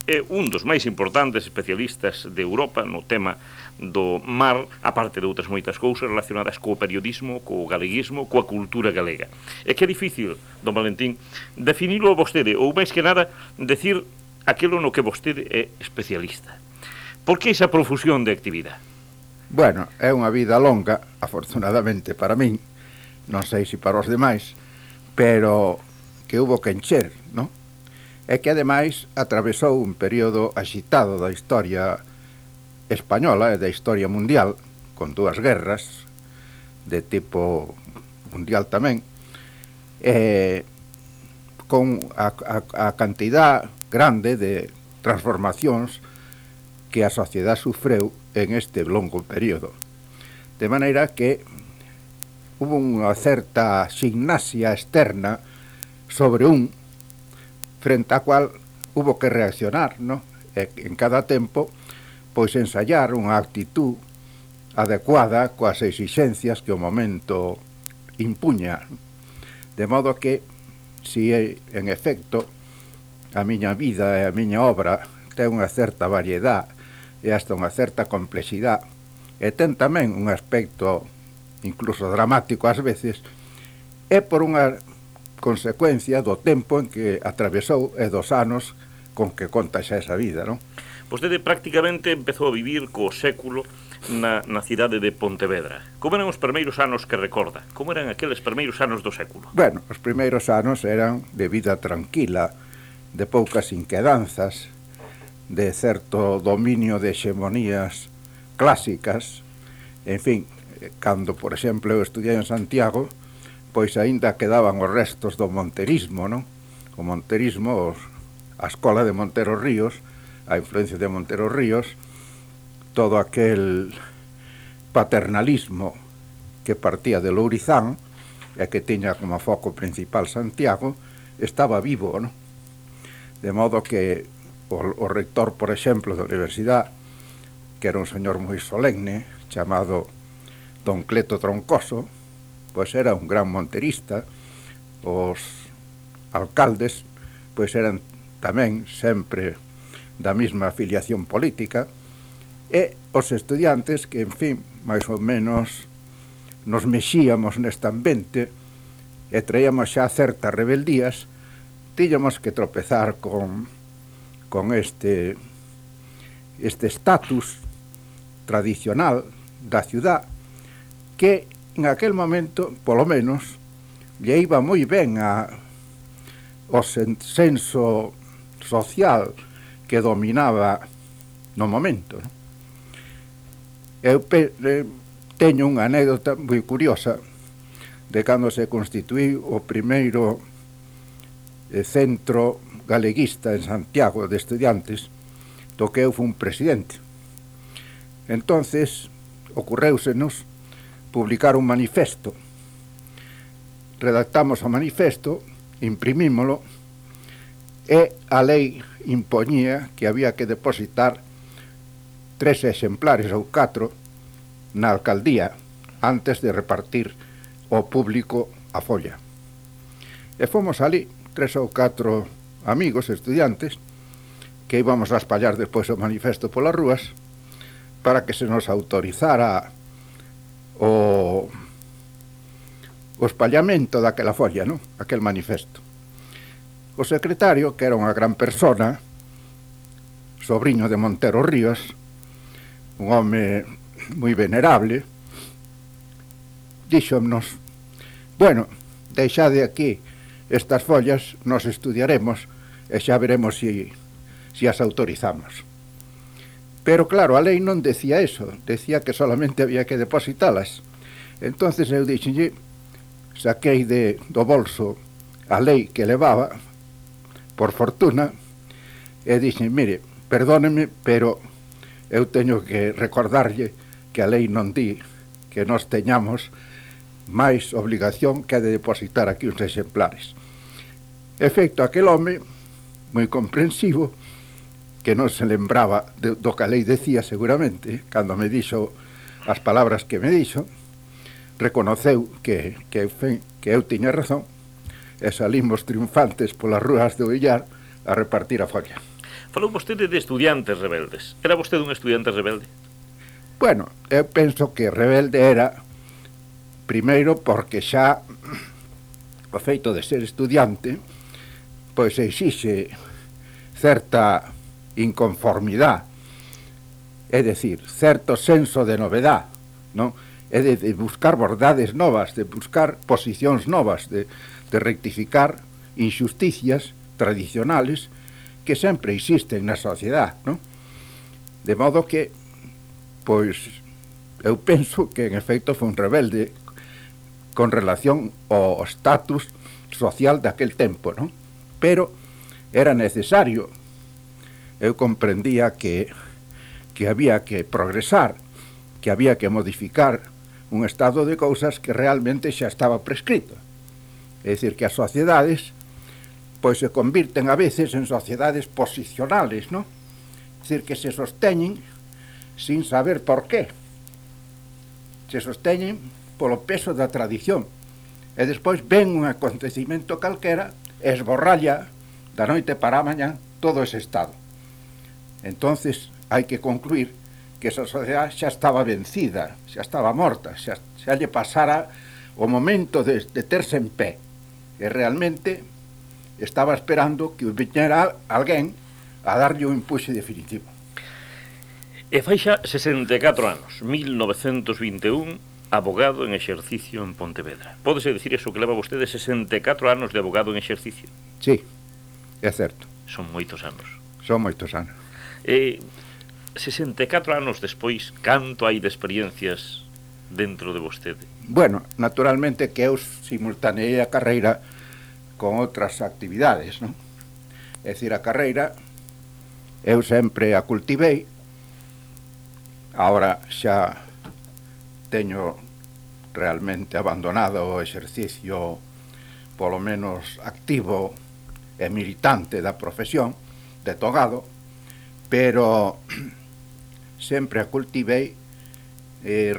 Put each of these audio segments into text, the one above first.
é un dos máis importantes especialistas de Europa no tema do mar, aparte de outras moitas cousas relacionadas co periodismo, co galeguismo, coa cultura galega. É que é difícil, don Valentín, definilo vostede, ou máis que nada, decir aquilo no que vostede é especialista. Por que esa profusión de actividade? Bueno, é unha vida longa, afortunadamente para min, non sei se para os demais, pero que hubo que encher, non? É que ademais atravesou un período axitado da historia española e da historia mundial, con dúas guerras de tipo mundial tamén, con a cantidad grande de transformacións que a sociedade sufreu en este longo período. De maneira que hubo unha certa gimnasia externa sobre frente á cual hubo que reaccionar, ¿no? En cada tempo, pois ensayar unha actitud adecuada coas exixencias que o momento impuña. De modo que, si en efecto a miña vida e a miña obra ten unha certa variedade e hasta unha certa complexidade, e ten tamén un aspecto incluso dramático ás veces, é por unha consecuencia do tempo en que atravesou e dos anos con que conta xa esa vida, non? Vostede prácticamente empezou a vivir co século na cidade de Pontevedra. Como eran os primeiros anos que recorda? Como eran aqueles primeiros anos do século? Bueno, os primeiros anos eran de vida tranquila, de poucas inquedanzas, de certo dominio de hexemonías clásicas. En fin, cando, por exemplo, eu estudiei en Santiago, pois aínda quedaban os restos do monterismo, non? O monterismo, a escola de Montero Ríos, a influencia de Montero Ríos, todo aquel paternalismo que partía de Lourizán e que tiña como foco principal Santiago, estaba vivo, non? De modo que o rector, por exemplo, da universidade, que era un señor moi solemne, chamado don Cleto Troncoso, pois era un gran monterista. Os alcaldes pois eran tamén sempre da mesma afiliación política, e os estudiantes que, en fin, máis ou menos nos mexíamos neste ambiente e traíamos xa certas rebeldías, tíñamos que tropezar con este estatus tradicional da ciudad que en aquel momento, polo menos, lle iba moi ben o senso social que dominaba no momento, non? Eu teño unha anécdota moi curiosa de cando se constituíu o primeiro centro galeguista en Santiago de estudiantes, do que eu fui un presidente. Entonces, ocorréusenos publicar un manifesto. Redactamos o manifesto, imprimímolo, e a lei impoñía que había que depositar 3 exemplares ou 4 na alcaldía antes de repartir ao público a folla. E fomos ali 3 ou 4 amigos, estudiantes, que íbamos a espallar despois o manifesto polas rúas para que se nos autorizara o espallamento daquela folla, non? Aquel manifesto. O secretario, que era unha gran persona, sobriño de Montero Ríos, un home moi venerable, díxonos: bueno, deixade aquí estas follas, nos estudiaremos e xa veremos se as autorizamos. Pero claro, a lei non decía eso, decía que solamente había que depositalas. Entonces eu dixenlle, saquei do bolso a lei que levaba, por fortuna, e dixen: mire, perdóneme, pero eu teño que recordarlle que a lei non di que nós teñamos máis obligación que a de depositar aquí uns exemplares. Efecto, aquel home, moi comprensivo, que non se lembraba do que a lei decía seguramente, cando me dixo as palabras que me dixo, reconoceu que eu tiña razón, e salimos triunfantes polas rúas de Villar a repartir a folla. Falou vostede de estudiantes rebeldes. Era vostede un estudiante rebelde? Bueno, eu penso que rebelde era primeiro porque xa o feito de ser estudiante pois exixe certa inconformidade, é dicir, certo senso de novedade, non? É de buscar verdades novas, de buscar posicións novas, de rectificar injusticias tradicionales que sempre existen na sociedade, non? De modo que, pois, eu penso que en efecto foi un rebelde con relación ao status social daquel tempo, non? Pero era necesario, eu comprendía que había que progresar, que había que modificar un estado de cousas que realmente xa estaba prescrito. É dicir, que as sociedades pois se convirten a veces en sociedades posicionales, non? É dicir, que se sosteñen sin saber por qué. Se sosteñen polo peso da tradición. E despois ven un acontecimento calquera e esborralla da noite para a mañá todo ese estado. Entonces hai que concluir que esa sociedade xa estaba vencida, xa estaba morta, xa lle pasara o momento de terse en pé. E realmente estaba esperando que viñera alguén a darlle un empuxe definitivo. E fai xa 64 anos, 1921, abogado en exercicio en Pontevedra. Pódese dicir eso que leva vostede 64 anos de abogado en exercicio? Sí, é certo. Son moitos anos. Son moitos anos. 64 anos despois, canto hai de experiencias dentro de vostede? Bueno, naturalmente que eu simultaneei a carreira con outras actividades, non? É dicir, a carreira eu sempre a cultivei. Agora xa teño realmente abandonado o exercicio polo menos activo e militante da profesión de togado, pero sempre a cultivei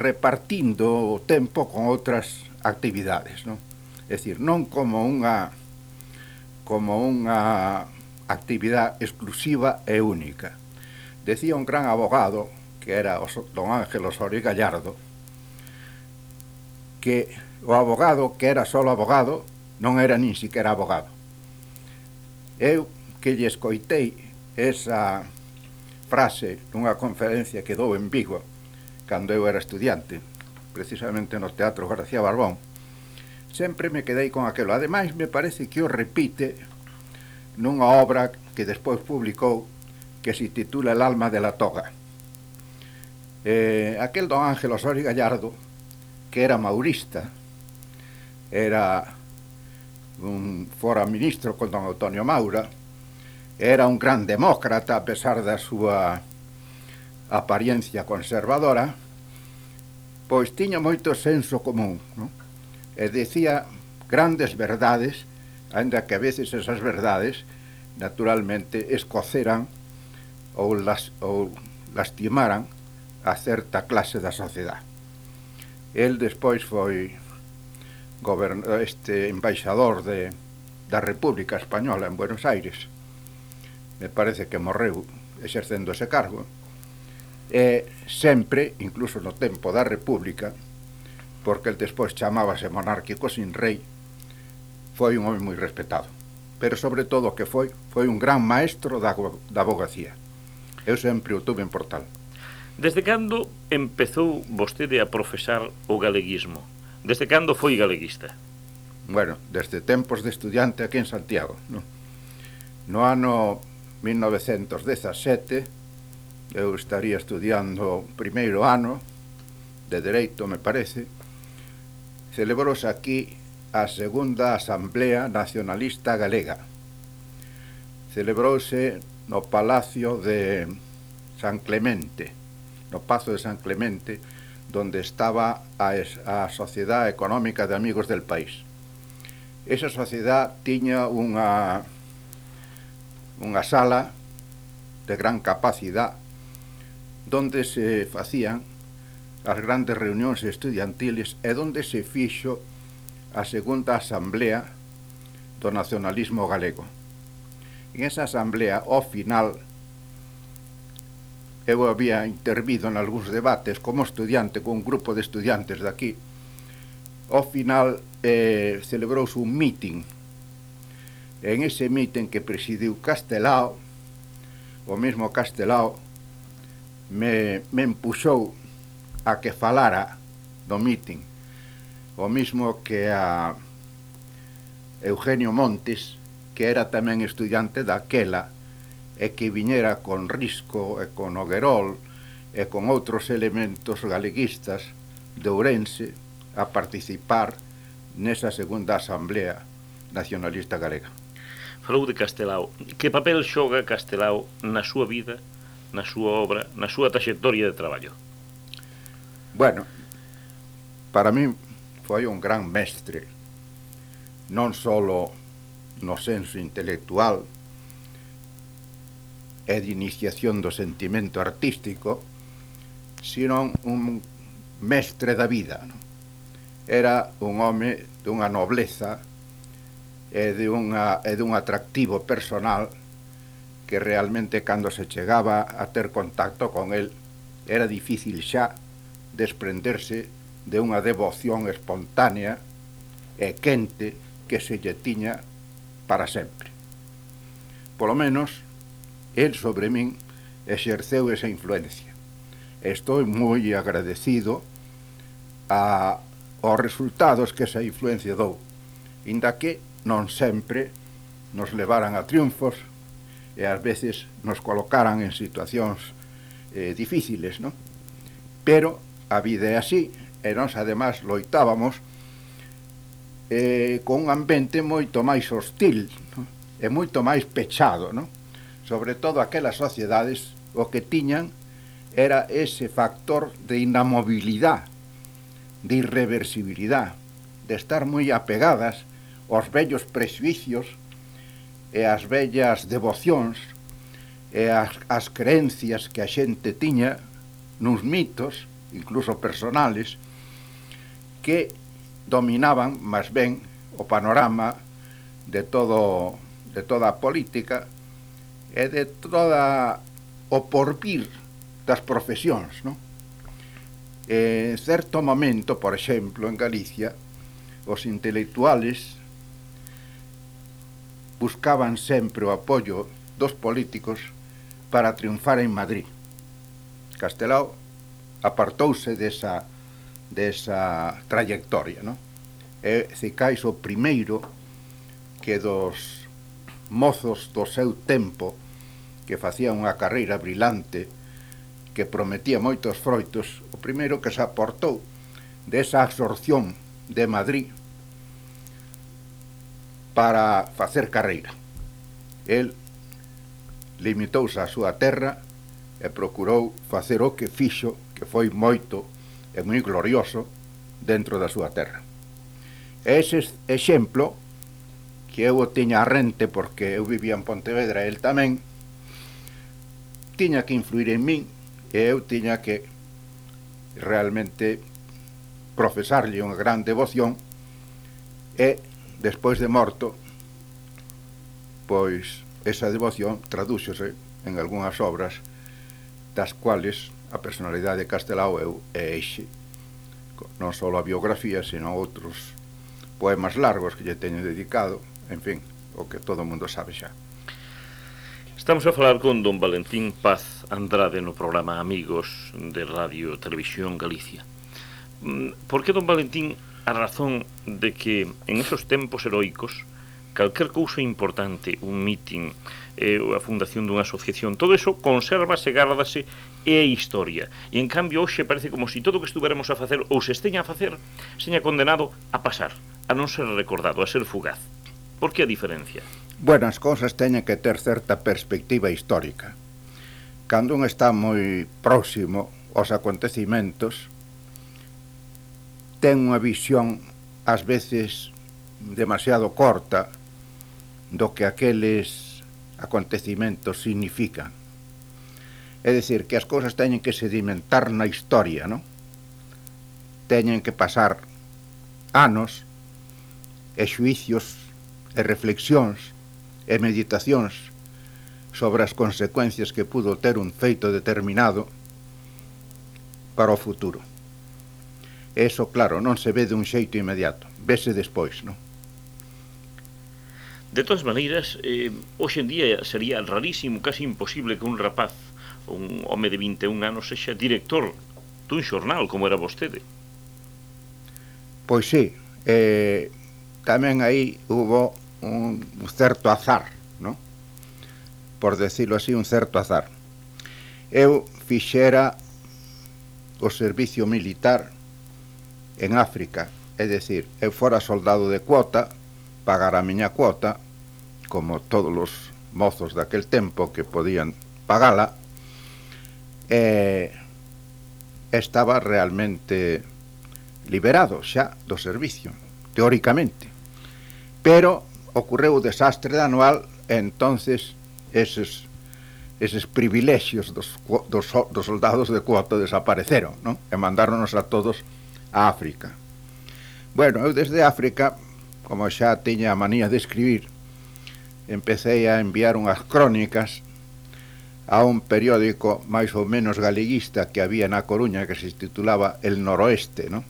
repartindo o tempo con outras actividades, non? É dicir, non como unha actividade exclusiva e única. Decía un gran abogado, que era don Ángel Osorio Gallardo, que o abogado que era solo abogado non era nin siquiera abogado. Eu que lle escoitei esa frase nunha conferencia que dou en Vigo cando eu era estudiante, precisamente no Teatro García Barbón, sempre me quedei con aquelo. Ademais, me parece que o repite nunha obra que despois publicou que se titula El alma de la toga. Aquel don Ángel Osorio Gallardo, que era maurista, fora ministro con don Antonio Maura, era un gran demócrata a pesar da súa apariencia conservadora, pois tiña moito senso común, non? E decía grandes verdades, ainda que a veces esas verdades naturalmente escoceran ou lastimaran a certa clase da sociedade. El despois foi embaixador da República Española en Buenos Aires. Me parece que morreu exercendo ese cargo. E sempre, incluso no tempo da República, porque el despois chamábase monárquico sin rei, foi un home moi respetado. Pero sobre todo que foi un gran maestro da abogacía. Eu sempre o tuve en Portal. Desde cando empezou vostede a profesar o galeguismo? Desde cando foi galeguista? Bueno, desde tempos de estudiante aquí en Santiago, non? No ano 1917 eu estaría estudiando o primeiro ano de Dereito, me parece. Celebrouse aquí a segunda Asamblea Nacionalista Galega. Celebrouse no Palacio de San Clemente, no Pazo de San Clemente, donde estaba a Sociedade Económica de Amigos del País. Esa sociedade tiña unha sala de gran capacidade donde se facían as grandes reunións estudiantiles e donde se fixo a segunda asamblea do nacionalismo galego. En esa asamblea, ao final, eu había intervido en algúns debates como estudiante con un grupo de estudiantes daqui. Ao final celebrouse un meeting. En ese meeting que presidiu Castelao, o mesmo Castelao me empuxou a que falara do meeting, o mismo que a Eugenio Montes, que era tamén estudiante daquela e que viñera con Risco e con Noguerol e con outros elementos galeguistas de Ourense a participar nesa segunda Asamblea Nacionalista Galega. Falou de Castelao. Que papel xoga Castelao na súa vida, na súa obra, na súa traxectoria de traballo? Bueno, para mí foi un gran mestre, non só no senso intelectual e de iniciación do sentimento artístico, sino un mestre da vida, non? Era un home dunha nobleza e dun atractivo personal que realmente cando se chegaba a ter contacto con el era difícil xa desprenderse de unha devoción espontánea e quente que se lle tiña para sempre. Polo menos, el sobre min exerceu esa influencia. Estou moi agradecido aos resultados que esa influencia dou, inda que non sempre nos levaran a triunfos e ás veces nos colocaran en situacións difíciles, non? Pero a vida é así, e nós ademais loitábamos con un ambiente moito máis hostil, non? E moito máis pechado, non? Sobre todo aquelas sociedades o que tiñan era ese factor de inamovilidade, de irreversibilidade, de estar moi apegadas aos vellos prexuicios e as vellas devocións e as creencias que a xente tiña nuns mitos, incluso personales, que dominaban máis ben o panorama de toda a política e de toda o porvir das profesións, non? En certo momento, por exemplo, en Galicia, os intelectuales buscaban sempre o apoio dos políticos para triunfar en Madrid. Castelao apartouse desa trayectoria, non? É cicais o primeiro que dos mozos do seu tempo que facían unha carreira brilante que prometía moitos froitos, o primeiro que se aportou desa absorción de Madrid para facer carreira. El limitouse á súa terra e procurou facer o que fixo, que foi moito e moi glorioso dentro da súa terra. E ese exemplo, que eu o tiña a rente porque eu vivía en Pontevedra e el tamén, tiña que influir en min e eu tiña que realmente profesarlle unha gran devoción e, despois de morto, pois esa devoción tradúxose en algunhas obras das cuales a personalidade de Castelao é eixe, non só a biografía, sino outros poemas largos que lle teño dedicado, en fin, o que todo o mundo sabe xa. Estamos a falar con don Valentín Paz Andrade no programa Amigos de Radio Televisión Galicia. Por que, don Valentín, a razón de que en esos tempos heroicos calquer cousa importante, un meeting, a fundación dunha asociación, todo eso consérvase, gárdase e é historia. E en cambio hoxe parece como se todo o que estuveremos a facer ou se esteña a facer seña condenado a pasar, a non ser recordado, a ser fugaz. Por que a diferencia? Bueno, as cousas teñen que ter certa perspectiva histórica. Cando un está moi próximo aos acontecimentos, ten unha visión ás veces demasiado corta do que aqueles acontecimentos significan. É dicir, que as cousas teñen que sedimentar na historia, non? Teñen que pasar anos e xuicios e reflexións e meditacións sobre as consecuencias que pudo ter un feito determinado para o futuro. Eso, claro, non se ve dun xeito inmediato, vese despois, non? De todas maneiras, hoxe en día sería rarísimo, casi imposible que un rapaz, un home de 21 anos, sexa director dun xornal como era vostede. Pois sí, tamén aí hubo un certo azar, non? Por decirlo así, un certo azar. Eu fixera o servicio militar en África, é dicir, eu fora soldado de cuota, pagar a miña cuota, como todos os mozos daquel tempo que podían pagala, estaba realmente liberado xa do servicio, teóricamente. Pero ocorreu o desastre de anual e entonces eses privilexios dos soldados de cuota desapareceron, non? E mandáronos a todos a África. Bueno, eu desde África, como xa tiña a manía de escribir, empecé a enviar unhas crónicas a un periódico máis ou menos galeguista que había na Coruña que se titulaba El Noroeste, non?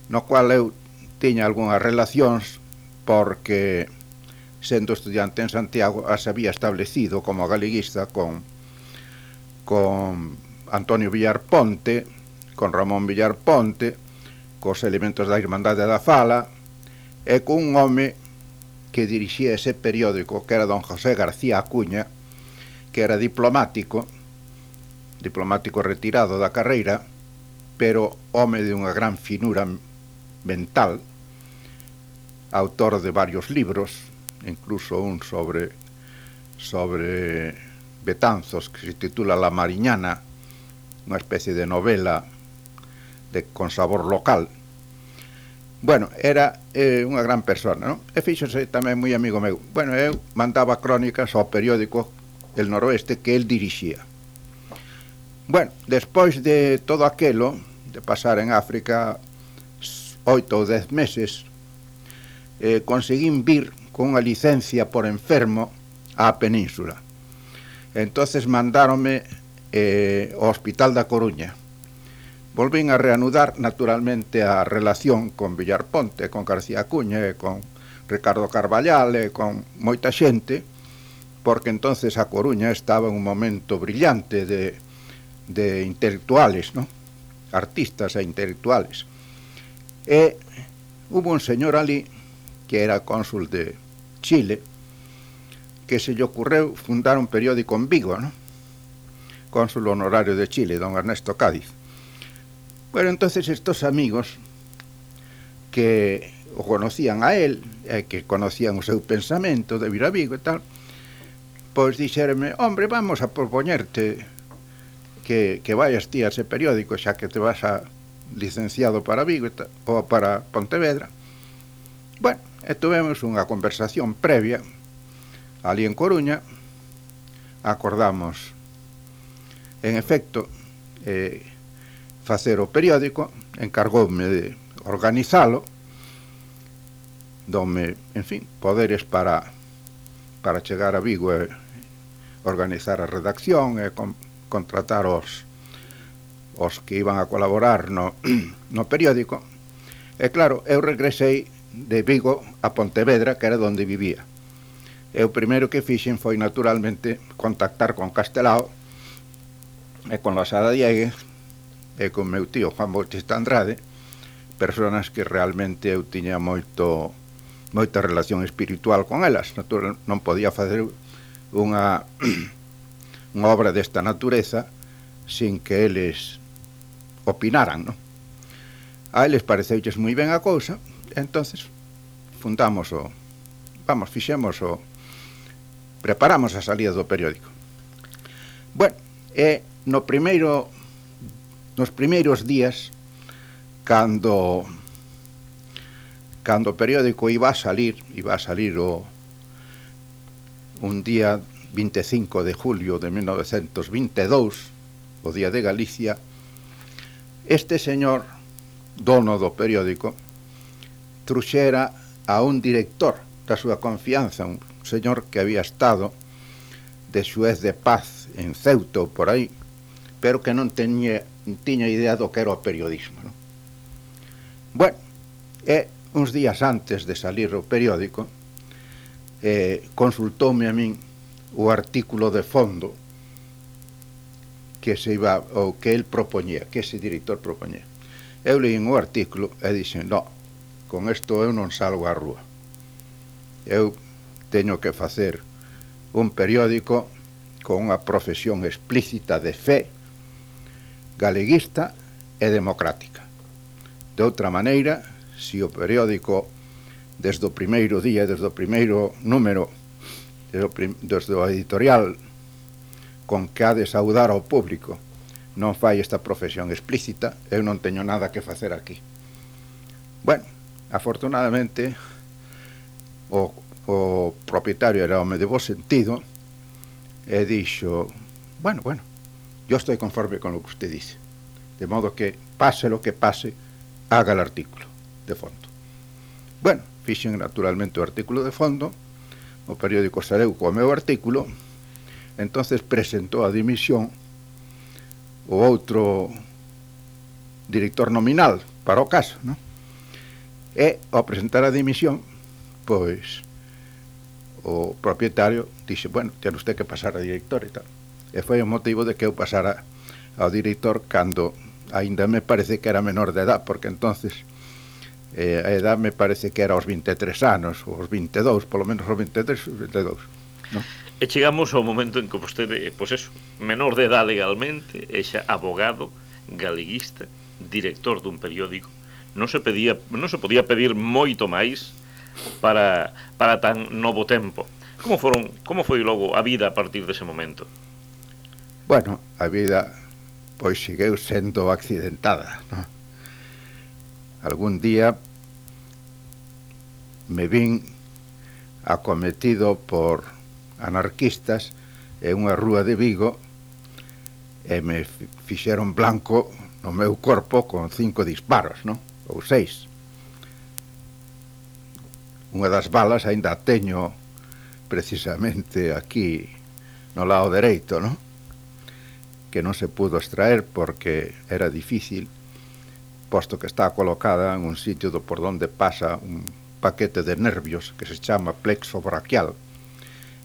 No cual eu tiña algunhas relacións porque, sendo estudiante en Santiago, as había establecido como galeguista con Antonio Villar Ponte, con Ramón Villar Ponte, cos elementos da Irmandade da Fala, e con un home que dirixía ese periódico, que era don José García Acuña, que era diplomático retirado da carreira, pero home de unha gran finura mental, autor de varios libros, incluso un sobre Betanzos, que se titula La Mariñana, unha especie de novela con sabor local. Bueno, era unha gran persona, non? E fíxose tamén moi amigo meu. Bueno, eu mandaba crónicas ao periódico El Noroeste que el dirixía. Bueno, despois de todo aquelo, de pasar en África 8 ou 10 meses, conseguín vir con unha licencia por enfermo á Península. Entonces mandáronme ao Hospital da Coruña. Volvín a reanudar naturalmente a relación con Villar Ponte, con García Acuña e con Ricardo Carballal e con moita xente, porque entonces a Coruña estaba en un momento brillante de intelectuales, ¿no? Artistas e intelectuales. E hubo un señor ali que era cónsul de Chile que se lle ocurreu fundar un periódico en Vigo, ¿no? Cónsul honorario de Chile, don Ernesto Cádiz. Bueno, entonces estos amigos que o conocían a él, que conocían o seu pensamento de vir a Vigo e tal, pois dixéronme, hombre, vamos a propoñerte que vayas ti a ese periódico, xa que te vas a licenciado para Vigo ou para Pontevedra. Bueno, e tuvemos unha conversación previa ali en Coruña, acordamos en efecto facer o periódico, encargoume de organizalo, dome, en fin, poderes para chegar a Vigo e organizar a redacción e contratar os que iban a colaborar no periódico. E claro, eu regresei de Vigo a Pontevedra, que era onde vivía. E o primeiro que fixen foi naturalmente contactar con Castelao e con Losada Diegues e con meu tío Juan Bautista Andrade, personas que realmente eu tiña moita relación espiritual con elas. Natural, non podía facer unha obra desta natureza sin que eles opinaran, non? A eles pareceulles moi ben a cousa, entonces preparamos a salida do periódico. Bueno, nos primeiros días, cando o periódico iba a salir un día 25 de julio de 1922, o Día de Galicia, este señor, dono do periódico, truxera a un director da súa confianza, un señor que había estado de xuez de paz en Ceuta ou por aí, pero que non tiña idea do que era o periodismo, non? Bueno, uns días antes de salir o periódico, consultoume a min o artículo de fondo que se iba, ou que el propoñía, que ese director propoñía. Eu leí o artículo e dixen, no, con isto eu non salgo á rúa. Eu teño que facer un periódico con unha profesión explícita de fe, galeguista e democrática. De outra maneira, se o periódico desde o primeiro día, desde o primeiro número, desde o editorial con que ha de saudar ao público, non fai esta profesión explícita, eu non teño nada que facer aquí. Bueno, afortunadamente o propietario era home de bo sentido e dixo, bueno, yo estoy conforme con lo que usted dice, de modo que pase lo que pase, haga el artículo de fondo. Bueno, fixen naturalmente o artículo de fondo, o periódico saleu co meu artículo, entonces presentou a dimisión o outro director nominal para o caso, non? E ao presentar a dimisión, pois o propietario dixe, bueno, ten usted que pasar a director e tal. E foi o motivo de que eu pasara ao director cando aínda me parece que era menor de edad, porque entonces a edad me parece que era aos 23 anos, ou aos 22, polo menos aos 23, 22, non? E chegamos ao momento en que vostede, pois eso, menor de edad legalmente, e xa abogado, galeguista, director dun periódico, non se podía pedir moito máis para tan novo tempo. Como foi logo a vida a partir dese momento? Bueno, a vida pois segueu sendo accidentada, non? Algún día me vin acometido por anarquistas en unha rúa de Vigo e me fixeron blanco no meu corpo con 5 disparos, non? Ou 6. Unha das balas aínda teño precisamente aquí no lado dereito, non? Que non se pudo extraer porque era difícil, posto que está colocada en un sitio por donde pasa un paquete de nervios que se chama plexo braquial.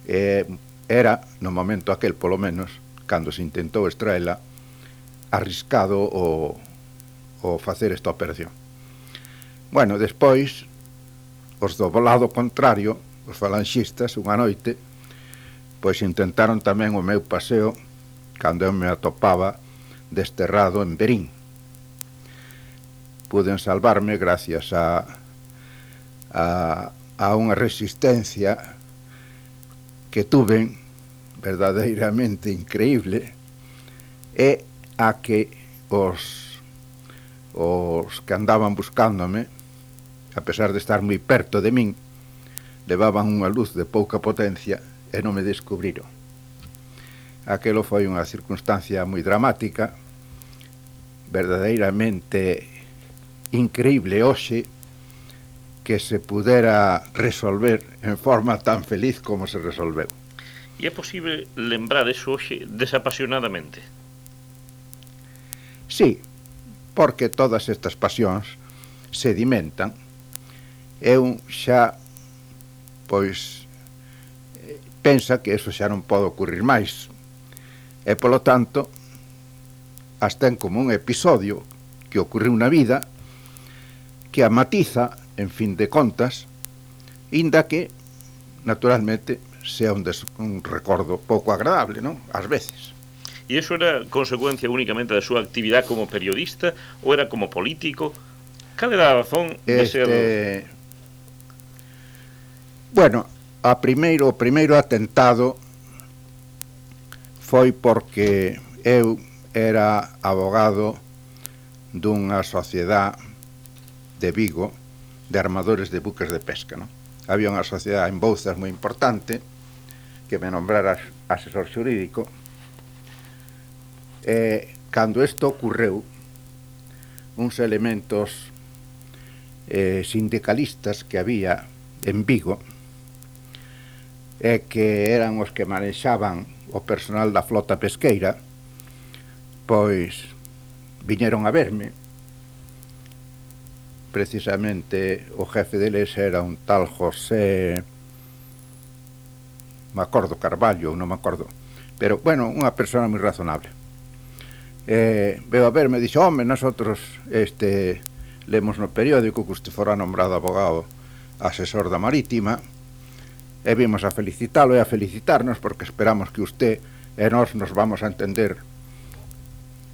Era, no momento aquel polo menos, cando se intentou extraela, arriscado o facer esta operación. Bueno, despois, os do lado contrario, os falanxistas, unha noite, pois intentaron tamén o meu paseo cando eu me atopaba desterrado en Berín. Puden salvarme gracias a unha resistencia que tuven verdadeiramente increíble e a que os que andaban buscándome, a pesar de estar moi perto de min, levaban unha luz de pouca potencia e non me descubriron. Aquelo foi unha circunstancia moi dramática, verdadeiramente increíble hoxe que se pudera resolver en forma tan feliz como se resolveu. E é posible lembrar eso hoxe desapasionadamente? Sí, porque todas estas pasións sedimentan. Eu xa, pois, pensa que eso xa non pode ocurrir máis. E, polo tanto, as ten como un episodio que ocorreu na vida que a matiza, en fin de contas, inda que, naturalmente, sea un recordo pouco agradable, non? Ás veces. E iso era consecuencia únicamente da súa actividade como periodista ou era como político? Cal era a razón de ser... Bueno, o primeiro atentado foi porque eu era abogado dunha sociedade de Vigo de armadores de buques de pesca, non? Había unha sociedade en Bouzas moi importante que me nombrara asesor xurídico e cando isto ocurreu uns elementos sindicalistas que había en Vigo e que eran os que manexaban o personal da flota pesqueira, pois viñeron a verme. Precisamente o jefe deles era un tal José, me acordo, Carballo, non me acordo, pero, bueno, unha persona moi razonable. Veo a verme e dixo: home, nosotros lemos no periódico que usted fora nombrado abogado asesor da Marítima, e vimos a felicitalo e a felicitarnos porque esperamos que usted e nós nos vamos a entender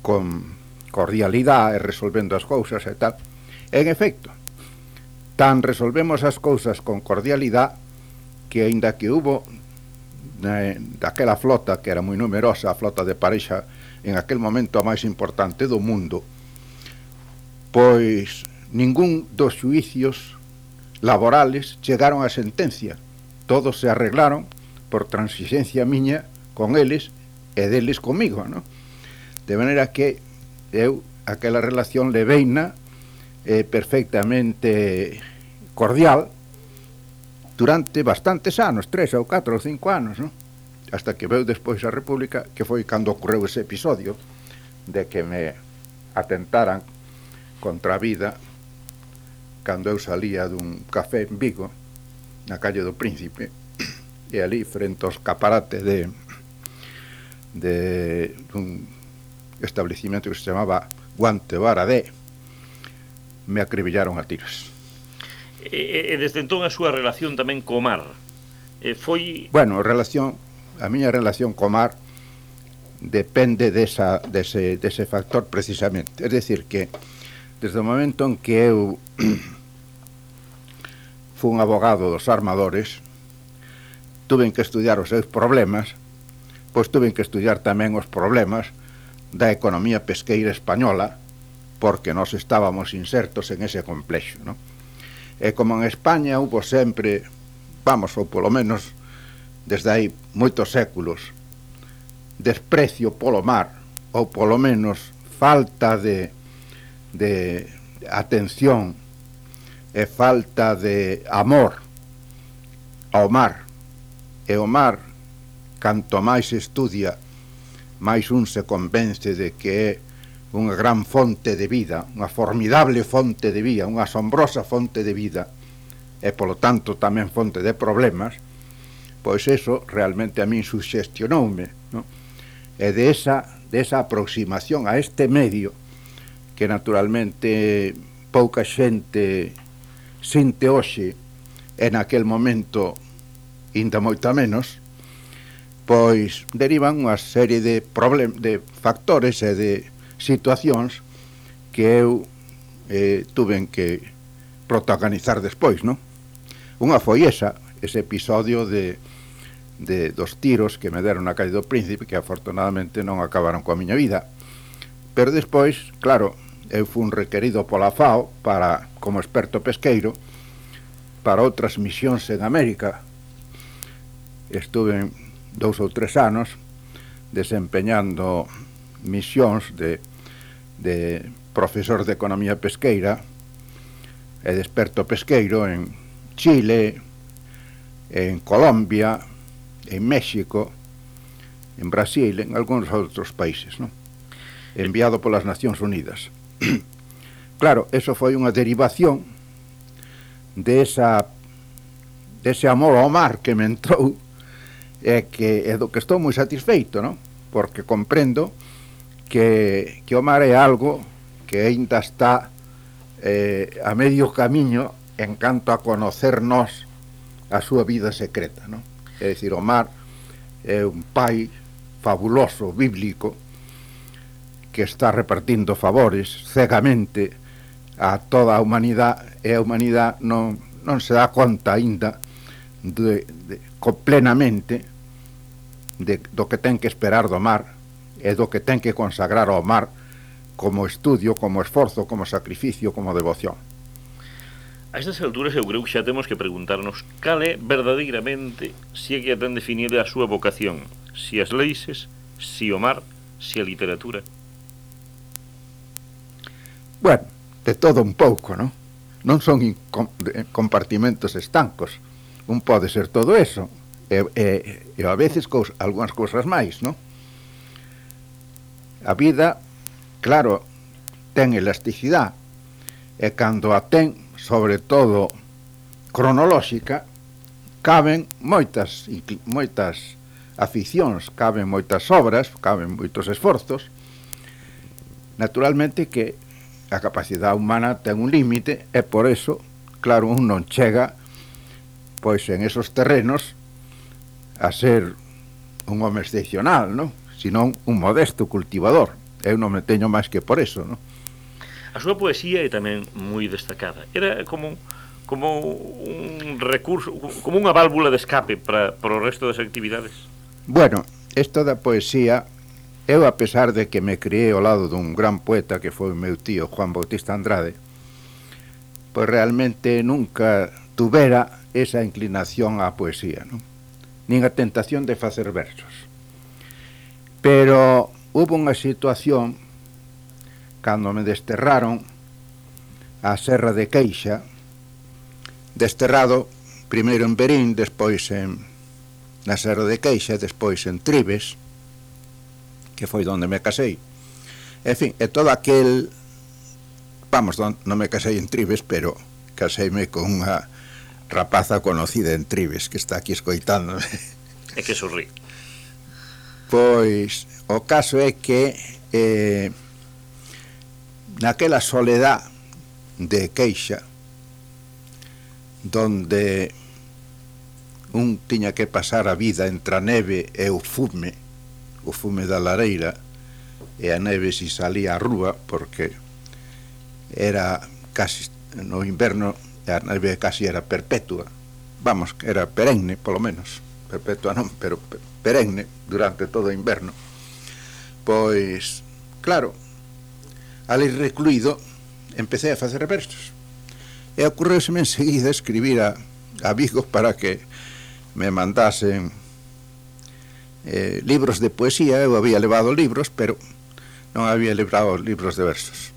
con cordialidade e resolvendo as cousas e tal. En efecto, tan resolvemos as cousas con cordialidade que, aínda que hubo daquela flota, que era moi numerosa, a flota de Parexa, en aquel momento a máis importante do mundo, pois ningún dos xuicios laborales chegaron a sentencia. Todos se arreglaron por transigencia miña con eles e deles comigo, ¿no? De maneira que eu aquela relación leveina perfectamente cordial durante bastantes anos, 3 ou 4 ou 5 anos, ¿no? Hasta que veu despois a República, que foi cando ocorreu ese episodio de que me atentaran contra a vida cando eu salía dun café en Vigo, na calle do Príncipe, e ali, frente ao escaparate de un establecimento que se chamaba Guante Baradé, me acribillaron a tiros. E desde entón a súa relación tamén co mar foi... Bueno, a miña relación co mar depende dese factor precisamente. Es decir, que desde o momento en que eu fui un abogado dos armadores, tuve que estudiar os seus problemas, pois tuve que estudiar tamén os problemas da economía pesqueira española, porque nós estábamos insertos en ese complexo, ¿no? E como en España hubo sempre, ou polo menos desde hai moitos séculos, desprecio polo mar, ou polo menos falta de atención e falta de amor ao mar, e o mar, canto máis estudia, máis un se convence de que é unha gran fonte de vida, unha formidable fonte de vida, unha asombrosa fonte de vida, e polo tanto tamén fonte de problemas, pois eso realmente a min suxestionoume, ¿no? E de esa aproximación a este medio, que naturalmente pouca xente sinte hoxe, en aquel momento inda moita menos, pois derivan unha serie de factores e de situacións que eu tuven que protagonizar despois, non? Unha foi ese episodio dos tiros que me deron na calle do Príncipe, que afortunadamente non acabaron coa miña vida. Pero despois, claro, eu fui requerido pola FAO como experto pesqueiro para outras misións en América. Estuve 2 ou 3 anos desempeñando misións de profesor de economía pesqueira e de experto pesqueiro en Chile, en Colombia, en México, en Brasil, en algúns outros países, ¿no? Enviado polas Nacións Unidas. Claro, eso foi unha derivación dese amor ao mar que me entrou e do que estou moi satisfeito, ¿no? Porque comprendo que o mar é algo que aínda está a medio camiño en canto a conocernos a súa vida secreta, ¿no? É dicir, o mar é un pai fabuloso, bíblico, que está repartindo favores cegamente a toda a humanidade, e a humanidade non se dá conta aínda plenamente do que ten que esperar do mar e do que ten que consagrar ao mar como estudio, como esforzo, como sacrificio, como devoción. A estas alturas eu creo que xa temos que preguntarnos cal é verdadeiramente, se é que ten definido a súa vocación, se as leixes, se o mar, se a literatura. Bueno, de todo un pouco, non? Non son compartimentos estancos. Un pode ser todo eso e a veces algunhas cousas máis, non? A vida, claro, ten elasticidade, e cando a ten, sobre todo cronolóxica, caben moitas aficións, caben moitas obras, caben moitos esforzos. Naturalmente que a capacidade humana ten un límite, e por eso, claro, un non chega pois en esos terrenos a ser un home excepcional, non? Senón un modesto cultivador. Eu non me teño máis que por eso, non? A súa poesía é tamén moi destacada. Era como un recurso, como unha válvula de escape para o resto das actividades. Bueno, isto da poesía, eu, a pesar de que me criei ao lado dun gran poeta que foi o meu tío Juan Bautista Andrade, pois realmente nunca tuvera esa inclinación á poesía, non? Nin a tentación de facer versos. Pero hubo unha situación cando me desterraron á Serra de Queixa, desterrado primeiro en Verín, despois na Serra de Queixa, despois en Tribes, que foi onde me casei. En fin, e todo aquel... Vamos, non me casei en Tribes, pero caseime con unha rapaza conocida en Tribes, que está aquí escoitándome. É que sorrí. Pois, o caso é que naquela soledad de Queixa, donde un tiña que pasar a vida entre a neve e o fume da lareira, e a neve si salía á rúa, porque era casi no inverno, a neve casi era perpetua, vamos, era perenne, polo menos, perpetua non, pero perenne durante todo o inverno. Pois, claro, ali recluído, empecé a facer versos, e ocorreuseme enseguida escribir a Vigo para que me mandasen libros de poesía. Eu había levado libros, pero non había levado libros de versos.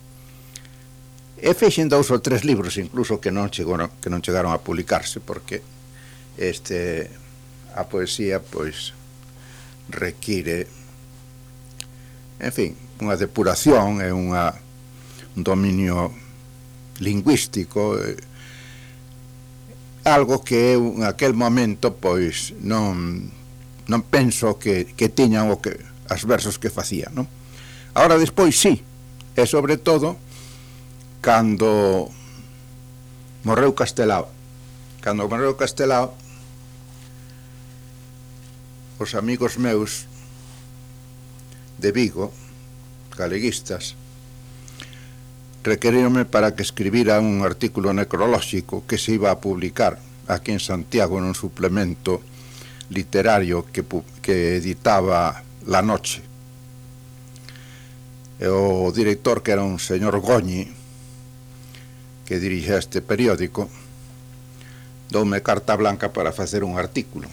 E feixen 2 ou 3 libros incluso que non chegaron a publicarse, porque a poesía pois require, en fin, unha depuración e un dominio lingüístico, algo que eu en aquel momento pois non penso que tiñan as versos que facía, non? Ahora despois sí, e sobre todo cando morreu Castelao. Cando morreu Castelao, os amigos meus de Vigo, galeguistas, requeríronme para que escribira un artículo necrolóxico que se iba a publicar aquí en Santiago nun suplemento literario que editaba La Noche. E o director, que era un señor Goñi, que dirixía este periódico, doume carta blanca para facer un artículo.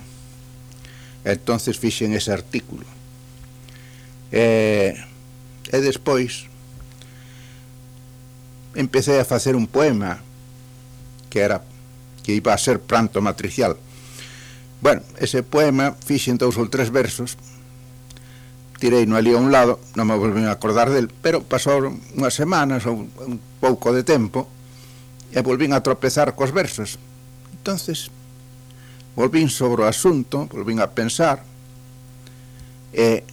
E entonces fixen ese artículo. E despois empecé a facer un poema que iba a ser Pranto Matricial. Bueno, ese poema fixen 2 ou 3 versos, tirei no ali a un lado, non me volvín a acordar del, pero pasaron unhas semanas ou un pouco de tempo e volvín a tropezar cos versos. Entonces volvín sobre o asunto, volvín a pensar e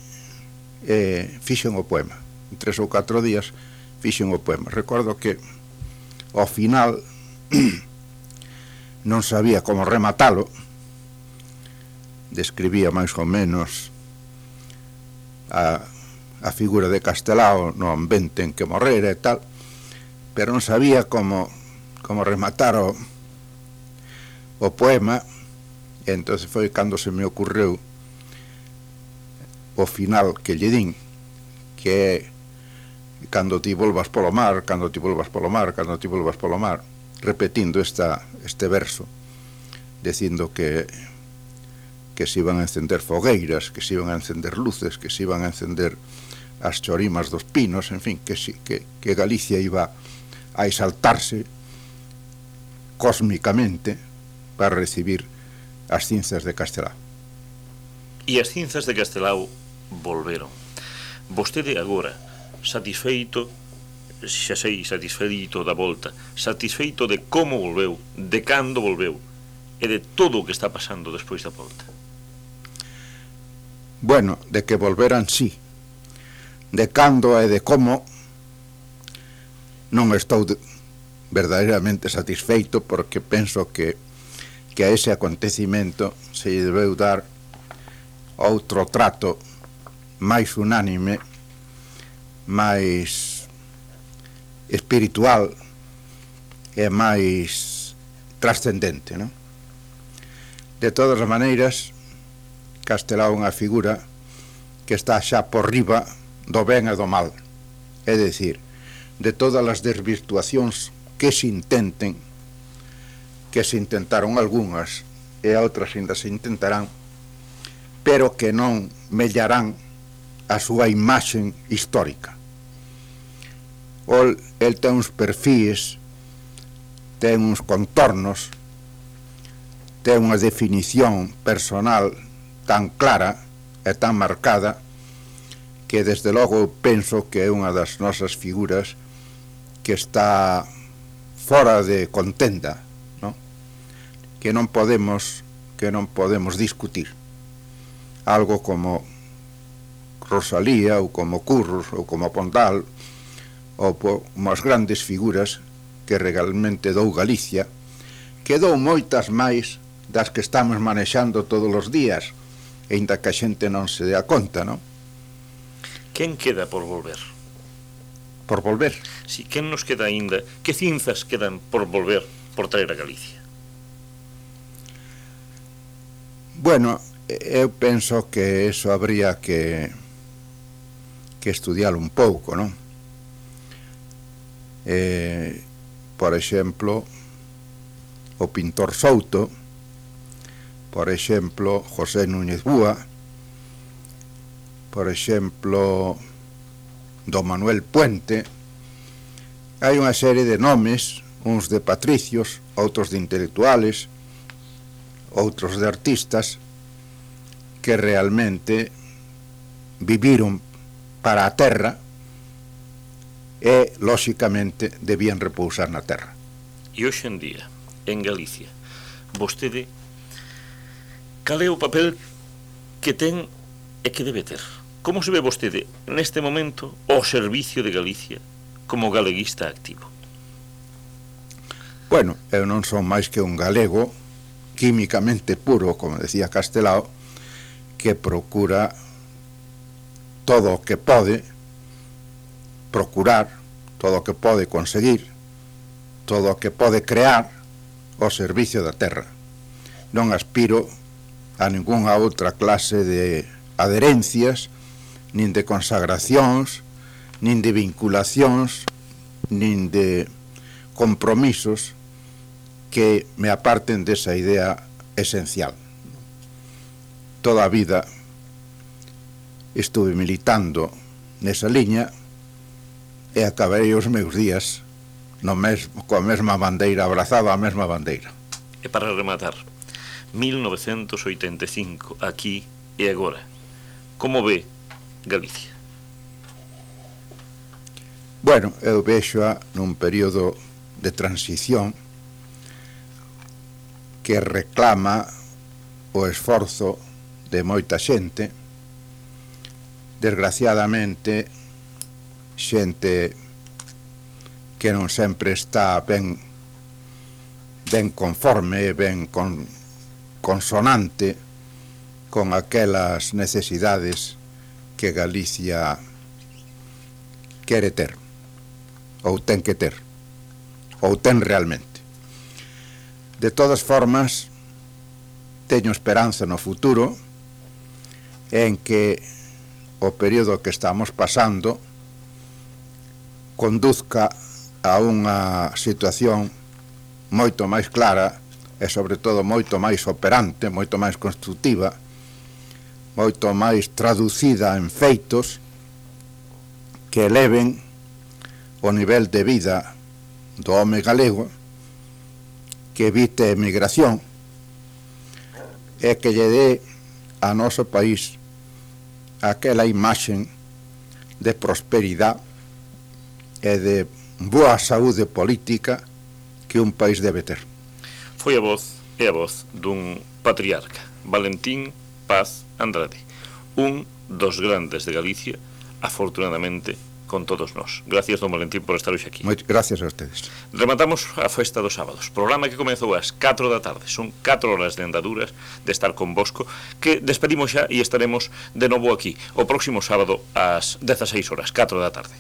fixen o poema. En 3 ou 4 días fixen o poema. Recordo que ao final non sabía como rematalo, describía máis ou menos a figura de Castelao no ambiente en que morrera e tal, pero non sabía como rematar o poema, e entonces foi cando se me ocurreu o final que lle din, que é cando ti volvas polo mar, cando ti volvas polo mar, cando ti volvas polo mar, repetindo este verso, dicindo que se iban a encender fogueiras, que se iban a encender luces, que se iban a encender as chorimas dos pinos, en fin, que Galicia iba a exaltarse cósmicamente para recibir as cinzas de Castelao. E as cinzas de Castelao volveron. Vostede agora, satisfeito, xa sei, satisfeito da volta, satisfeito de como volveu, de cando volveu, e de todo o que está pasando despois da volta. Bueno, de que volveran sí. De cando e de como non estou verdadeiramente satisfeito, porque penso que a ese acontecimento se debeu dar outro trato máis unánime, máis espiritual e máis trascendente, non? De todas as maneiras, Castelao é unha figura que está xa por riba do ben e do mal, é dicir, de todas as desvirtuacións que se intenten, que se intentaron algunhas e outras ainda se intentarán, pero que non mellarán a súa imaxen histórica. El ten uns perfíes, ten uns contornos, ten unha definición personal tan clara e tan marcada que desde logo penso que é unha das nosas figuras que está fora de contenda, non? Que non podemos discutir. Algo como Rosalía ou como Curros ou como Pondal ou como as grandes figuras que realmente dou Galicia, que dou moitas máis das que estamos manexando todos os días, aínda que a xente non se dea conta, non? Quen queda por volver? Por volver? Si, quen nos queda aínda? Que cinzas quedan por volver, por traer a Galicia? Bueno, eu penso que eso habría que estudiar un pouco, non? Por exemplo, o pintor Souto, por exemplo, José Núñez Búa, por exemplo, do Manuel Puente. Hai unha serie de nomes, uns de patricios, outros de intelectuales, outros de artistas, que realmente viviron para a terra e, lóxicamente, debían repousar na terra. E hoxe en día, en Galicia, vostede, cal é o papel que ten e que debe ter? Como se ve vostede, neste momento, ao servicio de Galicia como galeguista activo? Bueno, eu non son máis que un galego químicamente puro, como decía Castelao, que procura todo o que pode procurar, todo o que pode conseguir, todo o que pode crear ao servicio da terra. Non aspiro a ningunha outra clase de adherencias, nin de consagracións, nin de vinculacións, nin de compromisos que me aparten desa idea esencial. Toda a vida estuve militando nesa liña e acabei os meus días coa mesma bandeira, abrazado á mesma bandeira. E para rematar, 1985, aquí e agora, como ve Galicia? Bueno, eu vexo nun período de transición que reclama o esforzo de moita xente, desgraciadamente xente que non sempre está ben conforme, ben consonante con aquelas necesidades que Galicia quere ter, ou ten que ter, ou ten realmente. De todas formas, teño esperanza no futuro en que o período que estamos pasando conduzca a unha situación moito máis clara e, sobre todo, moito máis operante, moito máis constructiva, moito máis traducida en feitos que eleven o nivel de vida do home galego, que evite emigración e que lle dé a noso país aquela imaxen de prosperidade e de boa saúde política que un país debe ter. Foi a voz dun patriarca, Valentín Paz Andrade, un dos grandes de Galicia, afortunadamente con todos nós. Gracias, don Valentín, por estar hoxe aquí. Moitas gracias a ustedes. Rematamos a festa dos sábados, programa que comezou ás 4 da tarde. Son 4 horas de andaduras de estar convosco, que despedimos xa e estaremos de novo aquí o próximo sábado ás 16 horas, 4 da tarde.